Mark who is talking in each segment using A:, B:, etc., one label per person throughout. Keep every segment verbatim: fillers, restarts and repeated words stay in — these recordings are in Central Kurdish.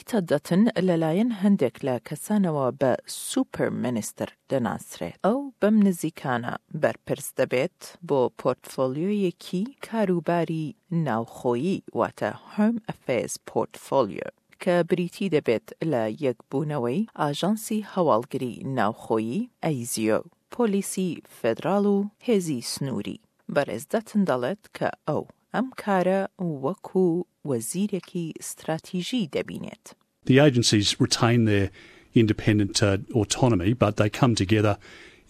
A: پیتەر دەتن لەلایەن هەندێک لە کەسانەوە بە super minister دەناسرێت. ئەو بەم نزیکانە بەرپرس دەبێت بۆ پۆرتفۆلیۆیەکی کاروباری ناوخۆیی، واتە Home Affairs Portfolio، کە بریتی دەبێت لە یەکبوونەوەی ئاژانسی هەواڵگری ناوخۆیی ئەیزیۆ، پۆلیسی فێدراڵ و هێزی سنووری. بەڕێز دەتن دەڵێت کە ئەو ئەم کارە وەکو وەزیرێکی ستراتیژی دەبینێت.
B: The agencies retain their independent uh, autonomy, but they come together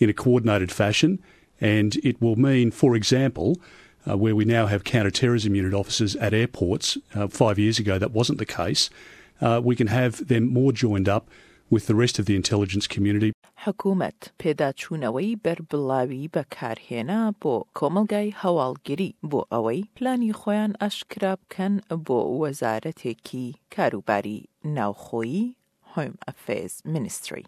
B: in a coordinated fashion, and it will mean, for example, uh, where we now have counter-terrorism unit officers at airports, uh, five years ago that wasn't the case, uh, we can have them more joined up with the rest of the intelligence community.
A: حکومەت پێداچوونەوەی بەربڵاوی بەکارهێنا بۆ کۆمەڵگای هەواڵگری بۆ ئەوەی پلانی خۆیان ئاشکرا بکەن بۆ وەزارەتێکی کاروباری ناوخۆیی Home Affairs Ministry.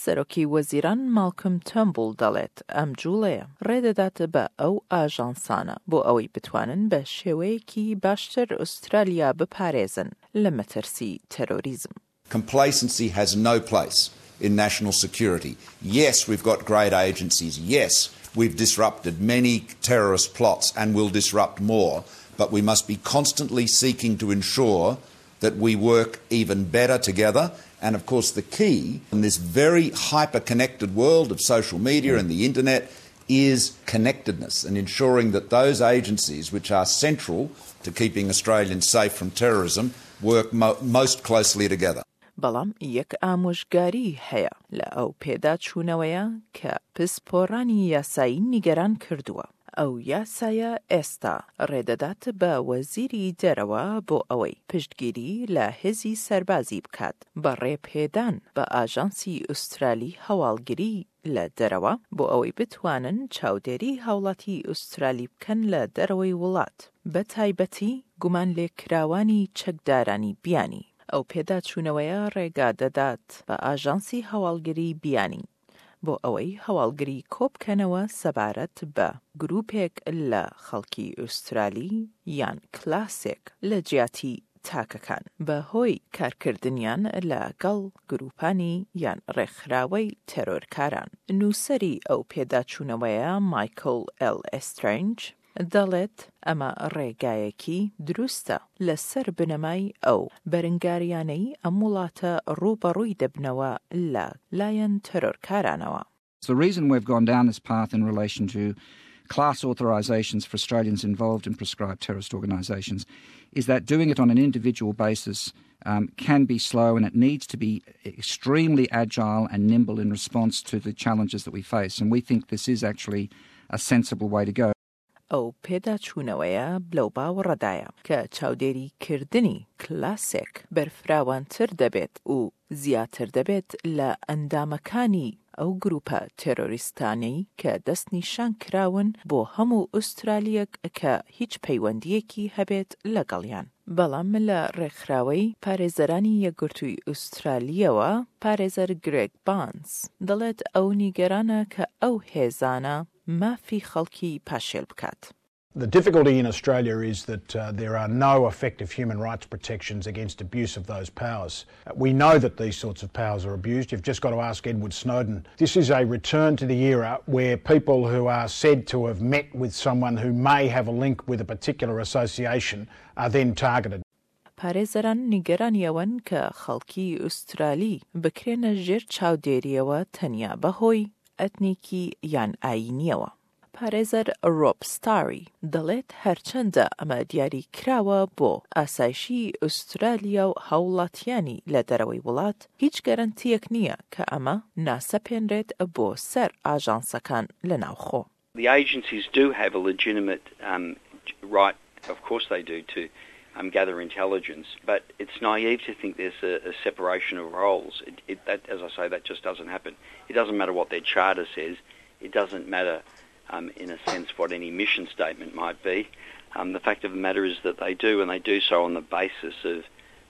A: سەرۆکی وەزیران ماڵکم تۆرنبوڵ دەڵێت ئەم جوڵەیە ڕێدەدات بە ئەو ئاژانسانە بۆ ئەوەی بتوانن بە شێوەیەکی باشتر ئوسترالیا بپارێزن لە مەترسی تەرۆریزم.
C: Complacency has no place in national security. Yes, we've got great agencies. Yes, we've disrupted many terrorist plots and will disrupt more. But we must be constantly seeking to ensure that we work even better together. And of course, the key in this very hyper connected world of social media and the internet is connectedness and ensuring that those agencies which are central to keeping Australians safe from terrorism work mo- most closely together.
A: بەڵام یەک ئامۆژگاری هەیە لە ئەو پێداچوونەوەیە کە پسپۆڕانی یاسایی نیگەران کردووە. ئەو یاسایە ئێستا ڕێدەدات بە وەزیری دەرەوە بۆ ئەوەی پشتگیری لە هێزی سەربازی بکات بە ڕێپێدان بە ئاژانسی ئوسترالی هەواڵگری لە دەرەوە بۆ ئەوەی بتوانن چاودێری هاوڵاتی ئوسترالی بکەن لە دەرەوەی وڵات، بە تایبەتی گومان لێکراوانی چەکدارانی بیانی. ئەو پێداچوونەوەیە ڕێگا دەدات بە ئاژانسی هەواڵگری بیانی بۆ ئەوەی هەواڵگری کۆبکەنەوە سەبارەت بە گروپێک لە خەڵکی ئوسترالی یان کلاسێک لە جیاتی تاکەکان بە هۆی کارکردنیان لەگەڵ گروپانی یان ڕێکخراوەی تێرۆرکاران. نووسەری ئەو پێداچوونەوەیە مایکل ئێل ئێسترەنج دەڵێت ئەمە ڕێگایەکی دروستە لەسەر بنەمای ئەو بەرەنگاریانەی ئەم وڵاتە ڕووبەڕووی دەبنەوە لە لایەن تەرۆرکارانەوە.
D: The reason we've gone down this path in relation to class authorisations for Australians involved in proscribed terrorist organisations is that doing it on an individual basis um, can be slow and it needs to be extremely agile and nimble in response to the challenges that we face. And we think this is actually a sensible way to go.
A: ئەو پێداچوونەوەیە لەو باوەڕەدایە کە چاودێریکردنی کلاسێک بەرفراوانتر دەبێت و زیاتر دەبێت لە ئەندامەکانی ئەو گروپە تێرۆریستانەی کە دەستنیشان کراون بۆ هەموو ئوسترالیەک کە هیچ پەیوەندیەکی هەبێت لەگەڵیان. بەڵام لە ڕێکخراوەی پارێزەرانی یەکگرتووی ئوسترالیەوە پارێزەر گرێگ بانس دەڵێت ئەو نیگەرانە کە ئەو هێزانە مافی خەڵکی پاشێل بکات.
E: The difficulty in Australia is that uh, there are no effective human rights protections against abuse of those powers. We know that these sorts of powers are abused. You've just got to ask Edward Snowden. This is a return to the era where people who are said to have met with someone who may have a link with a particular association are then targeted.
A: پارێزەران نیگەرانی ئەوەن کە خەڵکی ئوسترالی بکرێنە ژێر چاودێریەوە تەنیا بەهۆی ئەتنیکی یان ئاینیەوە. پارێزەر ڕۆب ستاری دەڵێت هەرچەندە ئەمە دیاری کراوە بۆ ئاسایشی ئوسترالیا و هاوڵاتیانی لە دەرەوەی وڵات، هیچ گەرەنتیەک نییە کە ئەمە ناسەپێنرێت بۆ سەر ئاژانسەکان لە ناوخۆ.
F: The agencies do have a legitimate um, right, of course they do, to um, gather intelligence, but it's naive to think there's a, a separation of roles. It, it, that, as I say, that just doesn't happen. It doesn't matter what their charter says. It doesn't matter, um, in a sense, what any mission statement might be. Um, the fact of the matter is that they do, and they do so on the basis of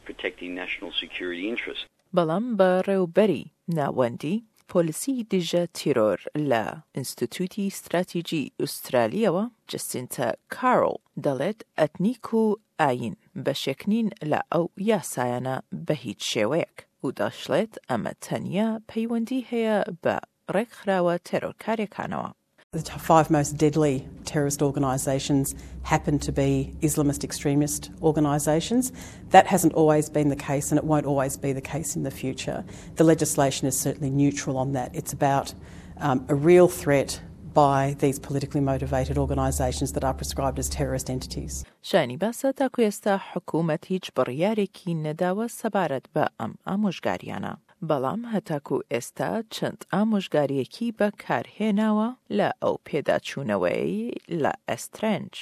F: protecting national security interests.
A: بەڵام بەڕێوبەری ناوەندی پۆلیسی دژە تیرۆر لە ئینستیتوتی ستراتیجی ئوسترالیەوە، جەسینتا کارۆڵ، دەڵێت ئەتنیک و ئایین بەشێک نین لە ئەو یاسایانە بە هیچ شێوەیەک و دەشڵێت ئەمە تەنیا پەیوەندی هەیە بە ڕێکخراوە تێرۆرکاریەکانەوە.
G: The five most deadly terrorist organisations happen to be Islamist extremist organisations. That hasn't always been the case and it won't always be the case in the future. The legislation is certainly neutral on that. It's about um, a real threat by these politically motivated organisations that are prescribed as terrorist entities.
A: شایانی باسە تاکو ئێستا حکوومەت هیچ بڕیارێکی نەداوە سەبارەت بە ئەم ئامۆژگاریانە، بەڵام هەتاکو ئێستا چەند ئامۆژگاریەکی بەکارهێناوە لە ئەو پێداچوونەوەی لە ئەسترەنج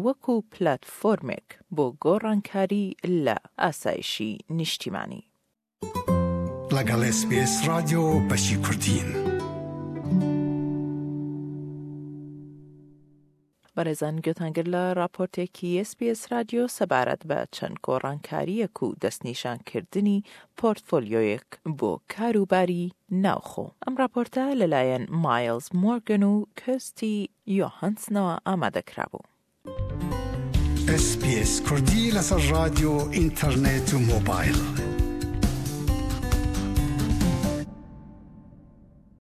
A: وەکو پلاتفۆرمێک بۆ گۆڕانکاری لە ئاسایشی نیشتیمانی.
H: لەگەڵ ئێس بی ئێس ڕادیۆ بەشی کوردین.
A: بەڕێزان، گوێتان لە راپۆرتێکی ئێس بی ئێس رادیۆ سەبارەت بە چەند گۆڕانکاریەک و دەستنیشانکردنی پۆرتفۆلیۆیەک بۆ کاروباری ناوخۆ. ئەم راپۆرتە لەلایەن مایلز مۆرگن و کەستی یۆهانسنەوە ئامادەکرابوو.
H: ئێس بی ئێس کوردی لەسەر رادیۆ، ئینتەرنێت و مۆبایل.